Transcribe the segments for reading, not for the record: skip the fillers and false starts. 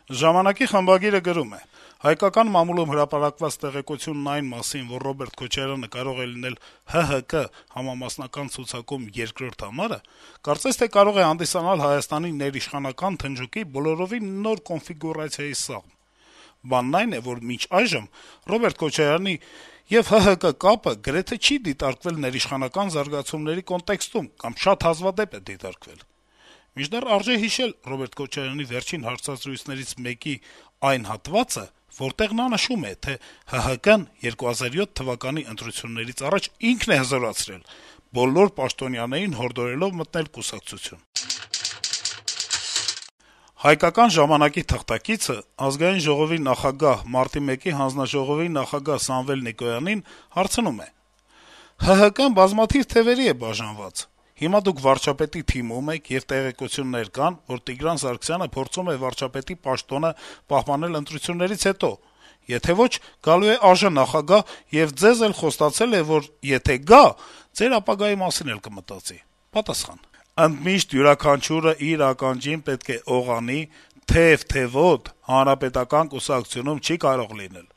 Ժամանակի խմբագիրը գրում է. - «Հայկական մամուլում հրապարակված տեղեկությունն այն մասին, որ Ռոբերտ Քոչարյանը կարող է լինել ՀՀԿ համամասնական ցուցակում երկրորդ համարը, կարծես թե կարող է հանդիսանալ Հայաստանի ներիշխանական թնջուկի բոլորովին նոր կոնֆիգուրացիայի սաղմ: Բանն այն է, որ մինչ այժմ Ռոբերտ Քոչարյանի եւ ՀՀԿ կապը գրեթե չի դիտարկվել ներիշխանական զարգացումների կոնտեքստում կամ շատ հազվադեպ է դիտարկվել: Մինչդեռ արժե հիշել Ռոբերտ Քոչարյանի վերջին հարցազրույցներից մեկի այն հատվածը, որտեղ նա նշում է, թե ՀՀԿ-ն 2007 թվականի ընտրություններից առաջ ինքն է հզորացրել, բոլոր պաշտոնյաներին հորդորելով մտնել կուսակցություն»: «Հայկական ժամանակ»-ի թղթակիցը Ազգային ժողովի նախագահ, մարտի 1-ի հանձնաժողովի նախագահ Սամվել Նիկոյանին հարցնում է. - «ՀՀԿ-ն բազմաթիվ թեւերի է բաժանված: Հիմա դուք վարչապետի թիմում եք, եւ տեղեկություններ կան, որ Տիգրան Սարգսյանը փորձում է վարչապետի պաշտոնը պահպանել ընտրություններից հետո: Եթե ոչ, գալու է ԱԺ նախագահ եւ ձեզ էլ խոստացել է, որ եթե գա, ձեր ապագայի մասին էլ կմտածի»: Պատասխան. - «Ընդմիշտ յուրաքանչյուրը իր ականջին պետք է օղանի, թեւ-թեւոտ Հանրապետական կուսակցությունում չի կարող լինել: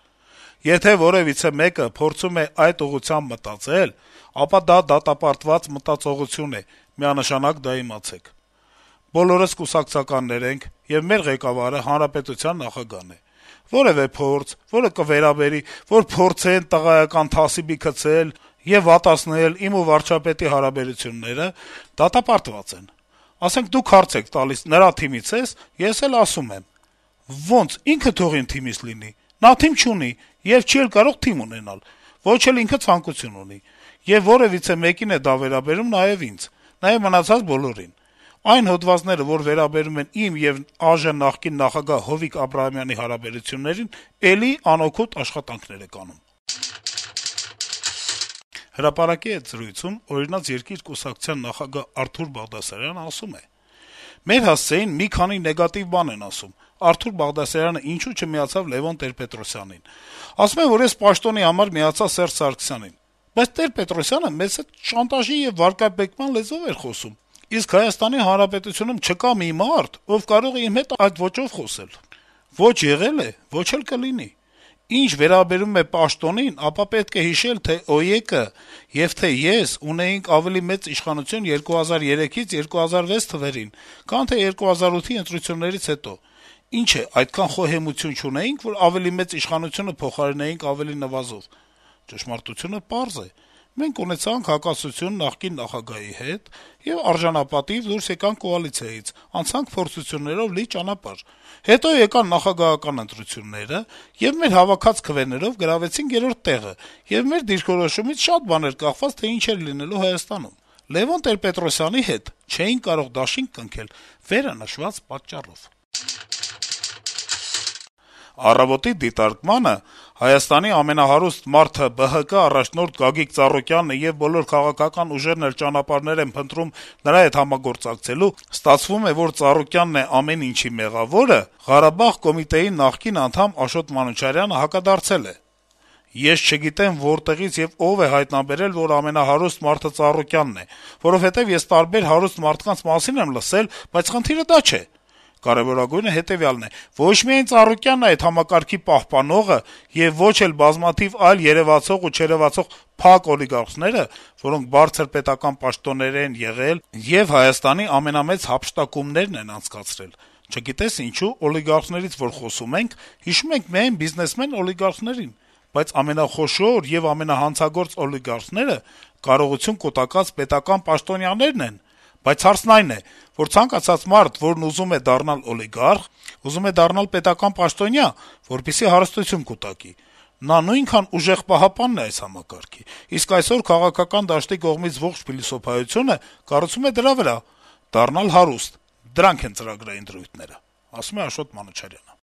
Եթե որեւիցե մեկը փորձում է այդ ուղղությամբ մտածել, ապա դա դատապարտված մտածողություն է, միանշանակ դա իմացեք: Բոլորս կուսակցականներ ենք, եւ մեր ղեկավարը հանրապետության նախագահն է: Որեւէ փորձ, որը կվերաբերի, որ փորձեն տղայական թասիբի գցել եւ վատացնել իմ ու վարչապետի հարաբերությունները, դատապարտված են: Ասենք, դուք հարց եք տալիս` նրա թիմից ե՞ս, ես էլ ասում եմ. ոնց, ինքը թող իմ թիմից լինի: Նա թիմ չունի եւ չի էլ կարող թիմ ունենալ, ոչ էլ ինքը ցանկություն ունի: Եվ որեւիցե մեկին է դա վերաբերում նաեւ ինձ, նաեւ մնացած բոլորին: Այն հոդվածները, որ վերաբերում են իմ եւ ԱԺ նախկին նախագահ Հովիկ Աբրահամյանի հարաբերություններին, էլի անօգուտ աշխատանքներ եք անում»: «Հրապարակ»-ի հետ զրույցում «Օրինաց երկիր» կուսակցության նախագահ Արթուր Բաղդասարյանն ասում է. - «Մեր հասցեին մի քանի նեգատիվ բան են ասում. Արթուր Բաղդասարյանը ինչու չմիացավ Լեւոն Տեր-Պետրոսյանին: Ասում են, որ ես պաշտոնի համար միացա Սերժ Սարգսյանին: Բայց Տեր-Պետրոսյանը մեզ հետ շանտաժի եւ վարկաբեկման լեզվով էր խոսում: Իսկ Հայաստանի Հանրապետությունում չկա մի մարդ, ով կարող է իմ հետ այդ ոճով խոսել: Ոչ եղել է, ոչ էլ կլինի: Ինչ վերաբերում է պաշտոնին, ապա պետք է հիշել, թե ՕԵԿ-ը եւ թե ես ունեինք ավելի մեծ իշխանություն 2003-ից 2006 թվերին, քան թե 2008-ի ընտրություններից հետո: Ինչ է, այդքան խոհեմություն չունեինք, որ ավելի մեծ իշխանությունը փոխարինեինք ավելի նվազով: Ճշմարտությունը պարզ է. մենք ունեցանք հակասություն նախկին նախագահի հետ եւ արժանապատիվ դուրս եկանք կոալիցիայից, անցանք փորձություններով լի ճանապարհ: Հետո եկան նախագահական ընտրությունները, եւ մեր հավաքած քվեներով գրավեցինք երրորդ տեղը, եւ մեր դիրքորոշումից շատ բան էր կախված, թե ինչ էր լինելու Հայաստանում: Լեւոն Տեր-Պետրոսյանի հետ չէինք կարող դաշինք կնքել վերը նշված պատճառով»: «Առավոտ»-ի դիտարկմանը Հայաստանի ամենահարուստ մարդը ԲՀԿ առաջնորդ Գագիկ Ծառուկյանն է եւ բոլոր քաղաքական ուժերն էլ ճանապարհներ են փնտրում նրա հետ համագործակցելու, ստացվում է, որ Ծառուկյանն է ամեն ինչի մեղավորը, Ղարաբաղ կոմիտեի նախկին անդամ Աշոտ Մանուչարյանը հակադարձել է. - «Ես չգիտեմ որտեղից եւ ով է հայտնաբերել, որ ամենահարուստ մարդը Ծառուկյանն է, որովհետեւ ես տարբեր հարուստ մարդկանց մասին եմ լսել, բայց խնդիրը դա չէ: Կարեւորագույնը հետեւյալն է. ոչ միայն Ծառուկյանն է այդ համակարգի պահպանողը եւ ոչ էլ բազմաթիվ այլ երեւացող ու չերեւացող փակ օլիգարխները, որոնք բարձր պետական պաշտոններ են եղել եւ Հայաստանի ամենամեծ հափշտակումներն են անցկացրել: Չգիտես ինչու, օլիգարխներից որ խոսում ենք, հիշում ենք միայն բիզնեսմեն օլիգարխներին, բայց ամենախոշոր եւ ամենահանցագործ օլիգարխները կարողություն կուտակած պետական պաշտոնյաներն են: Բայց հարցն այն է, որ ցանկացած մարդ, որն ուզում է դառնալ օլիգարխ, ուզում է դառնալ պետական պաշտոնյա, որպեսզի հարստություն կուտակի: Նա նույնքան ուժեղ պահապանն է այս համակարգի: Իսկ այսօր քաղաքական դաշտի կողմից ողջ փիլիսոփայությունը կառուցվում է դրա վրա` դառնալ հարուստ: Դրանք են ծրագրային դրույթները»: